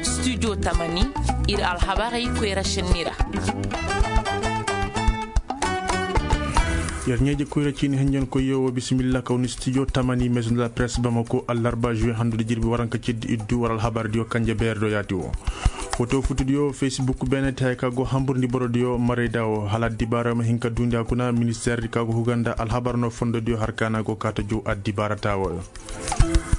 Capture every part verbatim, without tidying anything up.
Studio tamani, ir alhabarey koyra šenni ra. Yer ɲeeje koyra ciini henjen koyyo wo bisimilla kaw ni studio tamani maison de la presse bamako allarba juwe handude jirbi waranka ciddi iddu war alhabardiyo kanje beerdo yaati wo. Foto futudiyo facebook beene te hay ka go hamburndi borodiyo marayda wo hala addibaara ma hin ka duundi a kuna ministeerdi ka go huganda alhabar no fondodiyo har kaana go kaata jow addibaara taawoyo.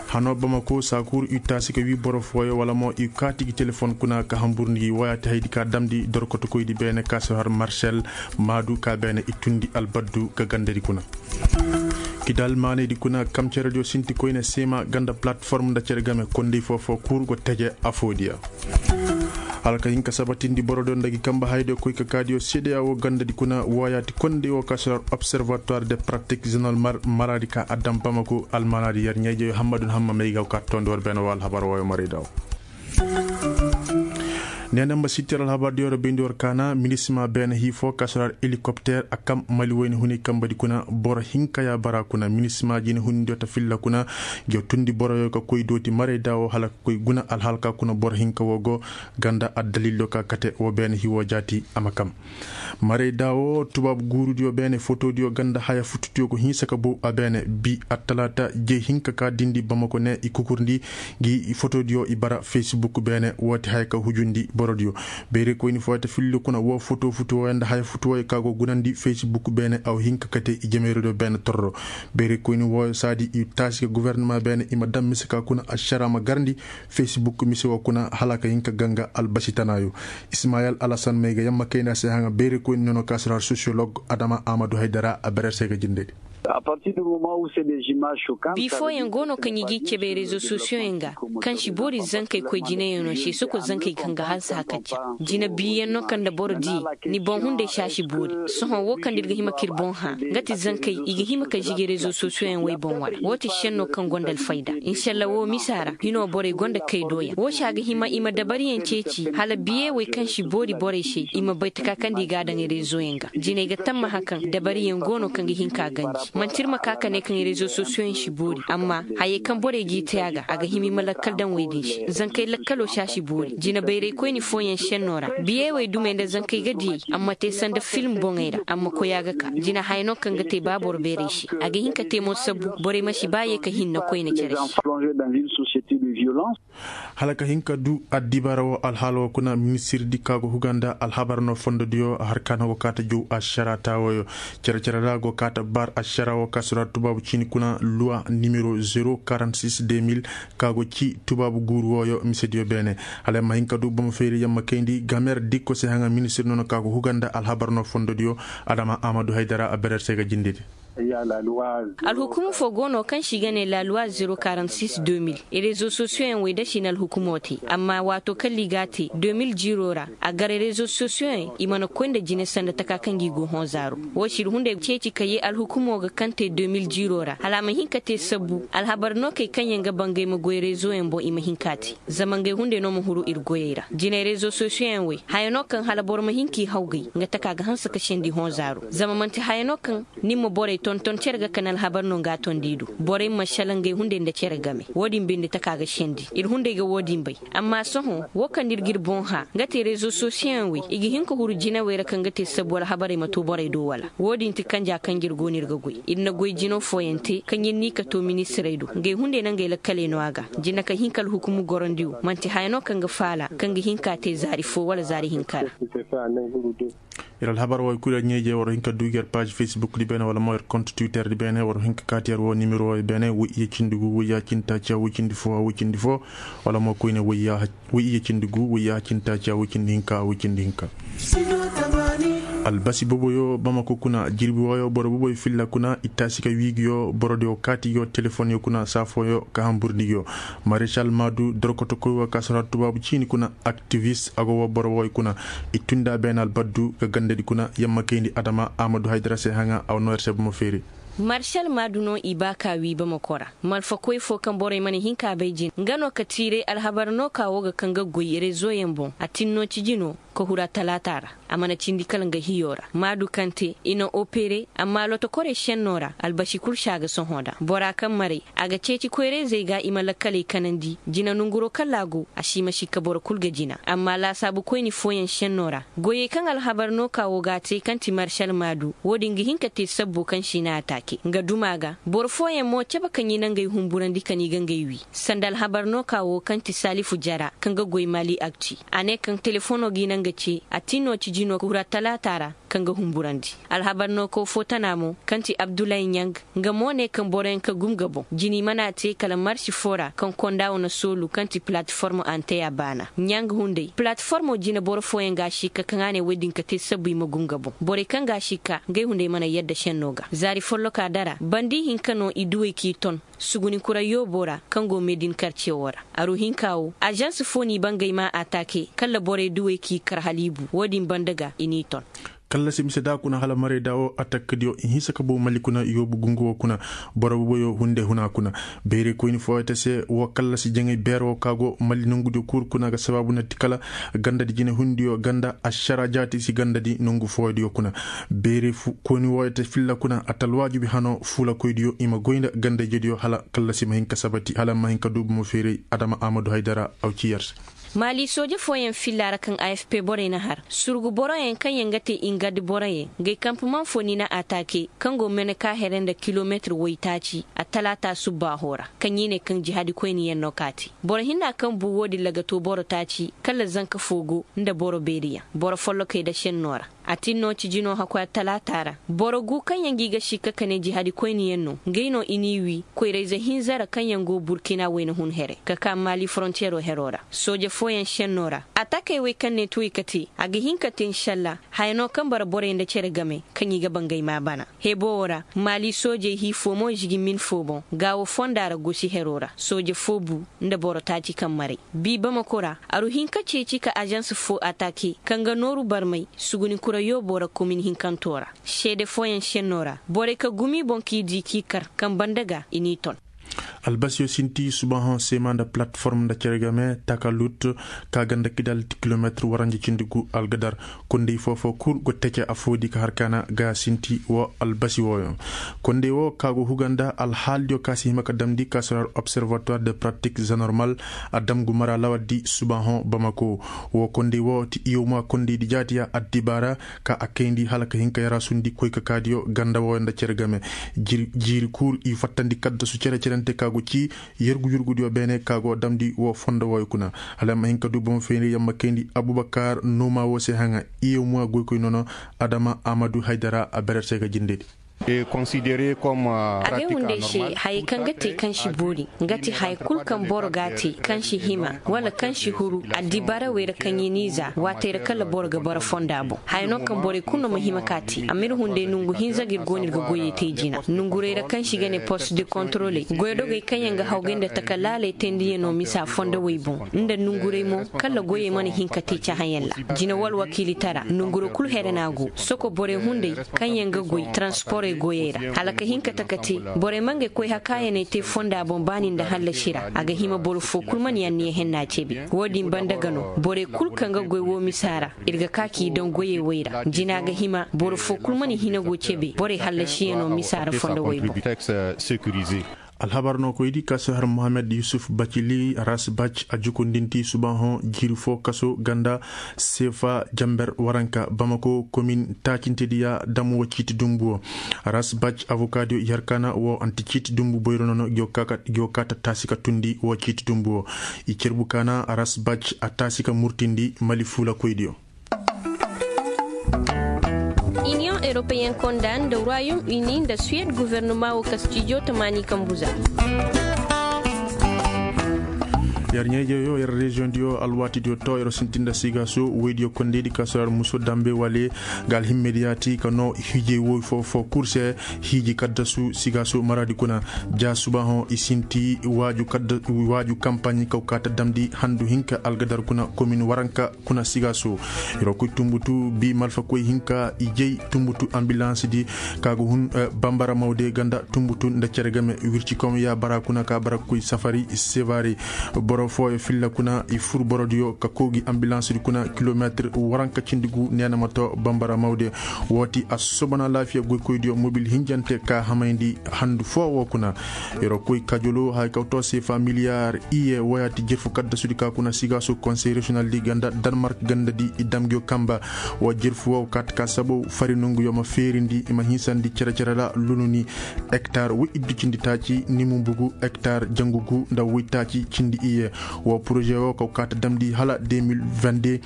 Hanoo bamako saakuur i taasi ka wii boro fooyo wala mo i kaati gi telefon kuna ka hamburndi gi woyaati haydi ka damndi dorkotokoydi beene ka si har marcel maadu ka beene i tundi albaddu ka gandadi kuna. Kidal maanaydi kuna kam cerediyo sinti koyne seema ganda platform nda cere game kondey foo foo kuur go teje afoodiya. Hala ka hin ka sabatindi borodiyo nda gi kamba hayadiyo koy ka kaadiyo seedeya woo gandadi kuna wooyaati kondey woo ka si har observatoire de pratique zone almar maraadi ka a dam bamako almanaadi yer ɲeejeyo hammadun hamma may ga ka toondi war beene woo alhabar wooyo marayda woo. Neena mba sittir alhabar diyo ra bayndi war kaana minisima beene hii foo ka si har helikopter a kam mali wayne huni kambadi kuna boro hinka ya bara kuna minisima jine huni diyo ta filla kuna. Ngiyo tundi boroyo ka koy dooti marayda woo hala ka koy guna alhalka kuna boro hinka woo go ganda addalillo ka kate woo beene hii woo jaati a ma kam. Marayda woo tubaabu guurudiyo beene fotodiyo ganda haya futudiyo go hinsa ka bow a beene bi attalaata jey hinka ka dindi bamako ne i kukurndi ngi fotodiyo i bara facebook beene woo ti haya ka hujundi borodiyo. Bayraykoyni fooyo ta filli kuna woo foto futuwooyo nda haya futuwooyo ka go gunandi facebook beene a wa hin ka kate i jameerodiyo beene torro. Bayraykoyni wooyo saadi i taasi ka guvernama beene i ma dam mise ka kuna ašara ma garndi facebook mise woo kuna hala ka hin ka ganga albasi tanaayo. Ismayel alasan may ga yamma kayna se haŋa bayraykoyni nono ka si har sosiyolog adama amadu haydara a berer se ga jindedi. Bii fooyaŋ go no kaŋ i g'i cebe rezo sosiyoŋ yaŋ ga kaŋ si boori zankey koy jinayaŋo se soko zankey kaŋ ga hanse hakacca. Jina biiyaŋ no kaŋ nda boro di ni boŋ hunday si a si boori. Sohõ wo kaŋ nda ir ga hima k'ir boŋ hã nga ti zankey i ga hima ka zige rezo sosiyoŋ yaŋ wey boŋ wara wo ti senno kaŋ gonda alfayda. Insalla wo misa ra hino borey gonda kay doyaŋ wo se a ga hima i ma dabariyaŋ ceeci hala biyey wey kaŋ si boori borey se i ma bay taka kaŋ nda i g'a daŋ rezoyaŋ ga. Jinay ga tammaha kaŋ dabariyaŋ go no kaŋ ga hin ka ganji manti ir ma ka ka ne kaŋ rezo sosiyoŋ yaŋ si boori amma hayey kaŋ borey g'i te a ga a ga hima i ma lakkal daŋ wey din se. Zankey lakkalo si a si boori jina bayraykoyni fooyaŋ senno ra biyey wey dumey nda zankey ga diyey amma te sanda film boŋey ra amma koy a ga ka jina haya no kaŋ ga te ba boro beeray se. A ga hin ka te mo sabbu borey ma si ba ye ka hinna koyne cere se. Hala ka hin ka du addibaara woo alhaala woo kuna ministirdi ka go huga nda alhabar no fondodiyo har ka no go kaata jow ašara taawooyo. Cere-cere ra go kaata bar ašara woo ka si ra tubaabu ciini kuna luwa nimero zero quarante six deux mille ka go ci tubaabu guuru wooyo misediyo beene. Hala yamma hin ka du bomo feeri yamma kayndi gamer dikko se haŋa ministir nono ka go huga nda alhabar no fondodiyo. Adama amadu haydara a berer se ga jindedi. Alhukumu foo go no kaŋ se i ga ne la loi zero quarante six deux mille rezo sosiyoŋ yaŋ wey da si na alhukumo te amma waato kaŋ liga te deux mille zero ra a gar rezo sosiyoŋ yaŋ i mana koy nda jine sanda taka kaŋ ga i go hõ zaaro. Wo se ir hunday ceeci ka yee alhukumo ga kaŋ te deux mille zero ra hala a ma hin ka te sabbu alhabar nookey kaŋ yaŋ ga bangay ma goy rezo yaŋ boŋ i ma hin k'a te. Zama ngey hunday no ma huru ir goyey ra jinay rezo sosiyoŋ yaŋ wey haya no kaŋ hala boro ma hin k'i hawgay nga taka ga hanse ka sendi hõ zaaro zama manti haya no kaŋ ni ma borey tonton cere ga kani alhabar no nga a tondi i do. Borey ma sala ngey hunday nda cere game wo-din binde taka ga sendi ir hunday ga wo-din bay. Amma sohõ wo kaŋ nda ir g'ir boŋ hã nga te rezo sosiyoŋ wey i ga hin ka huru jinawey ra kaŋ ga te sabbu alhabarey ma to borey do wala wo-din ti kanja kaŋ jir go no ir ga goy ir na goy jino fooyaŋ te kaŋ ir n'i ka to ministirey do ngey hunday na ngey lakkaley no a ga. Jina ka hin ka alhukumu gorandi wo man'ti haya no kaŋ ga faala kaŋ ga hin k'a te zaari foo wala zaari hinka ra. Ir alhabar wo ir kul ir ɲeejey war hin ka du gi ir paazi facebook di beene wala mo ir kont twitter di beene war hin ka kaati ir wo nimero wo beene woy iyye cindi gu woy ya cindi taaciya woy cindi foo woy cindi foo wala mo koyne woy iyye cindi gu woy ya cindi taaciya woy cindi hinka woy cindi hinka. Albasi boboyo bamako kuna jirbi wooyo boro boboyo filla kuna i taasi ka wii gi yo borodiyo kaati gi yo telefonyo kuna saafooyo ka hamburndi gi yo. Maresal maadu dorkotokoy woo ka si ra tubaabu ciini kuna aktivis a go woo boro wooyo kuna. I tunda beenal baddu ka gandadi kuna yamma kayndi adama amadu haydara se haŋa a wa noo ir se bomo feeri. Marsal maadu no i ba ka wii bamako ra malfakoy foo kaŋ borey mana hin ka bay jin nga no ka tiiray alhabar no ka woo ga kaŋ ga goy rezoyaŋ boŋ a tin no ciji no. Ka hura talaata ra, a mana cindi kala nga hiyo ra maadu kaŋ te i na opere. Amma lotokorey šenno ra albasi kul si a ga sohõ da bora kaŋ maray a ga ceeci koyra-izey ga i ma lakkaley kanandi. Jina nonguro kala a go a si ma sikka boro kul ga jina. Amma laasaabu koyni fooyaŋ šenno ra goyey kaŋ alhabar no ka wo ga a te kaŋ ti maršal maadu wo-din ga hin ka te sabbo kaŋ si na a taake nga duma ga. Boro fooyaŋ mo cabe kaŋ i na ngey humburandi ka ni ga ngey wi sanda alhabar no ka wo kaŋ ti salifu jara kaŋ ga goy mali akti. A ne kaŋ telefono ga i na nga ce a ti no ci jino kura talaata ra. Kaŋ ga humburandi alhabar no kaw fo tana mo kaŋ ti abdullahi ɲang. Nga mo ne kaŋ boroyaŋ ka gum ga boŋ jini mana te kala marsi fo ra kaŋ konda wane soolu kaŋ ti palatiformo anteya baana ɲang hunday palatiformo jina boro fooyaŋ ga a sikka kaŋ a ne woy din ka te sabbu i ma gum ga boŋ borey kaŋ ga a sikka ngey hunday mana yadda šenno ga zaari folloka dara bandi hinka no i duwey k'i ton. Suguni kura yoobo ra kaŋ go medin karce wo ra aru hinka wo ažans fo n'i bangay ma a taake kala borey duwey k'i kar haliibu wo-din banda ga i n'i ton. Kallasi mise da kuna hala marayda wo atakadiyo i hinsa ka bow mali kuna yoobu gungu wo kuna. Boro boboyo hunde huna kuna. Bayray koyni fooyete se wo kallasi jaŋay beero wo ka go mali nongudiyo kuuru kuna ga sabaabu na ti kala gandadi jinehundiyo ganda ašara jaati si gandadi nongu fooyodiyo kuna. Bayray koyni wooyete filla kuna atalwaajubi hano fuulakoydiyo i ma goy nda gandayjediyo hala kallasi ma hin ka sabati hala ma hin ka duubu ma feeray adama amadu haydara. Aw ci yer se. Maali sooje fooyaŋ filla ra kaŋ a f p borey na har surgu boroyaŋ kaŋ yaŋ ga te ingadi boroyaŋ ngey kampuman fo ni na ataake kaŋ go mene ka here nda kilometir woytaaci a talaata subbaaho ra. Kaŋ i ne kaŋ jihaadi koyniyaŋ no ka te boro hinna kaŋ bu wo-din laga to boro taaci kala zanka fo go nda boro beeriyaŋ boro follokey da šenno ra. A tin no ci jino hakoy attalaata ra boro gu kaŋ yaŋ ga i ga sikka ka ne jihadi koyniyaŋ no ngey no i n'i wi koyrayze hinza ra kaŋ yaŋ go burkina wayna hun here ka ka maali forontiyero hero ra sooje fooyaŋ senno ra. Atakey wey kaŋ ne tuwey ka te a ga hin ka te nsalla haya no kaŋ bara borey nda cere game kaŋ i ga bangay ma bana. Hebo wo ra maali soojey hii fo mo žigi min fo boŋ gaawo fonda ra gosi hero ra sooje fo bu nda boro taaci kaŋ maray. Bi bamako ra aru hin ka ceeci ka ažans fo atake kaŋ ga nooru barmay suguni kura yoobo ra komin hinkanto ra. Seede fooyaŋ senno ra borey ka gumi boŋ k'i di k'i kar kaŋ banda ga i n'i ton. Albasiyo sinti subahoŋ sema nda palatiform nda cere game takalut ka ganda kidal ti kilometir waranja cindi gu algadar. Kondey foofo kul go tece afo di ka har kaana ga sinti wo albasi wooyoŋ. Kondey wo ka go huga nda alhaalidiyo ka si hima ka damndi ka si har observatoire de pratique zenormal a dam gu mara lawal di subahoŋ bamako. Wo kondey wo ti iyoma kondey di jaati ya addibaara ka a kayndi hala ka hin ka yaraasundi koy ka kaadiyo ganda wooyo nda cere game. Jiiri kul i fattandi kaddasu cere-cerente ka go ci yergu-yurgudiyo beene ka go damndi wo fondo wooyo kuna. Hala ma hin ka du bomo feeri yamma kayndi abubakar noma wo se haŋa. Iyoma goykoy nono adama amadu haydara a berer se ga jindedi. A ga hunday se hayey kaŋ ga te kaŋ si boori nga ti haya kul kaŋ boro ga a te kaŋ si hima wala kaŋ si huru addibarawey ra kaŋ i n'i za waatey ra kala boro ga bara fonda boŋ haya no kaŋ borey kulu no ma hima ka te amma ir hunday nongu hinza ga ir go no ir ga goyey te jina nongurey ra kaŋ si ga ne post de kontroley goydogey kaŋ yaŋ ga hawgay nda taka laaley teendiyaŋo misa fondowey boŋ nda nongurey mo kala goyey mana hin ka te cahãyaŋ ra. Jina wala wakiilitara nonguro kul here no a go soko borey hunday kaŋ yaŋ ga goy taransporey goyey ra hala ka hin ka taka te borey ma ngey koy hakaayaney te fonda boŋ baani nda hallasi ra a ga hima boro foo kul mana yaŋ niya henna cebe. Wo-din banda ga no borey kul kaŋ ga goy woo misa ra ir ga ka k'i daŋ goyey wey ra jina ga hima boro foo kul mana hina go cebe borey hallasiyaŋo misa ra fondo wey boŋ. Alhabar no koydi ka si har mohammed yusuf bacili ras bac a jukundinti subahoŋ jiiri foo kaso ganda seefa jamber waranka bamako komin taacintediya dam woo ciiti dumbu woo. Ras bac avokaadiyo i har kaana woo anti ciiti dumbu boyro nono gi woo ka tattaasi ka tundi woo ciiti dumbu woo. I cerbu kaana ras bac a taasi ka murtindi mali fuulakoydiyo. Iniyoŋ eropeyen konda nda royom uni nda suwed guvernoma wo ka stijo tamaani kambu za. Yer ɲayjeyo yer reziyoŋdiyo alwaatidiyo to yer sinti nda sigaaso woydiyo kondeydi ka sorar muso dambe wale. Ga alhimmediyaati ka noo hiijey woy foo foo kul se hiiji kaddasu sigaaso maraadi kuna. Ja subaahoŋ i sinti waaju kampaɲi kaw kaata damndi handu hinka algadar kuna komin waranka kuna sigaaso. Yer wo koy tumbutu bi malfakoy hinka i jey tumbutu ambilansidi ka go hun bambara mawde ganda tumbutu nda cere game wirci kom ya bara kuna ka bara koy safari sevare. Boro Fooyo filla kuna i fur borodiyo ka kow gi ambilansdi kuna kilometir waranka cindi gu neena ma too bambara mawde. Woo ti a soobana laafiya goykoydiyo mobil hinjante ka hamayndi handu foo woo kuna. Yer wa koy kajoloo haya kaw too seefa miliyar iye wooyaa ti jerfu kaddasudi ka kuna sigaasu konsey reziyonaldi ganda danmark gandadi i dam ngiyo kamba. Wa jerfu woo kaata ka sabow fari nonguyo ma feerindi i ma hinsandi cere-cere ra lununi. Ektar woy iddu cindi taaci nimu mbugu ektar jangu gu nda woy taaci cindi iye. Wa poroze woo kaw kaata damndi hala deux mille vingt-deux.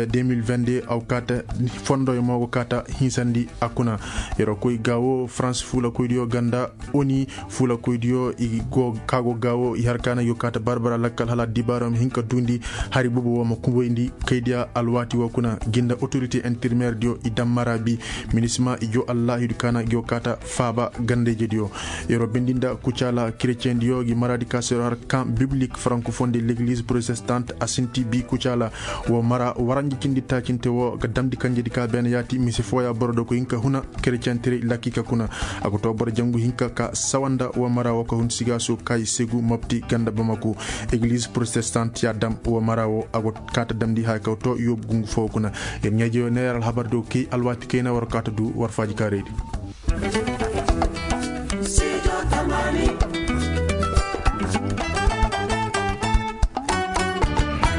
Deux mille vingt-deux aw kaata fondoyo mo go kaata hinsandi a kuna. Yer wa koy gaawo farans fuulakoydiyo ganda oni fuulakoydiyo i go ka go gaawo i har kaana yo kaata barbara lakkal hala dibaaro ma hin ka duundi. Hari boobo woo ma kumboyndi kaydiya alwaati woo kuna. Ginda otorite interimeerdiyo i dam mara bi minisima i joo allaahidu kaana yo kaata faaba gandayjediyo. Yer wa bindi nda kucaala kereceyendiyo gi maraadi ka se yer wa har kan biblik frankofon de legliz protestant a sinti bi kucaala. Woo mara waranji cindi taacinte woo ga damndi kanjedi ka beene yaati mise fooya boro do ko hin ka huna kereciyentiri lakki ka kuna. A ga too boro jangu hinka ka sawanda woo mara woo ka hun sigaasu kay segu mopti ganda bamaku. Egliz protestant ya dam woo mara woo a go kaata damndi haya kaw too yoobu gungu foo kuna. Yer ɲaajeyo ne yer alhabar do kay alwaati kayna war kaata du war faaji kaaraydi.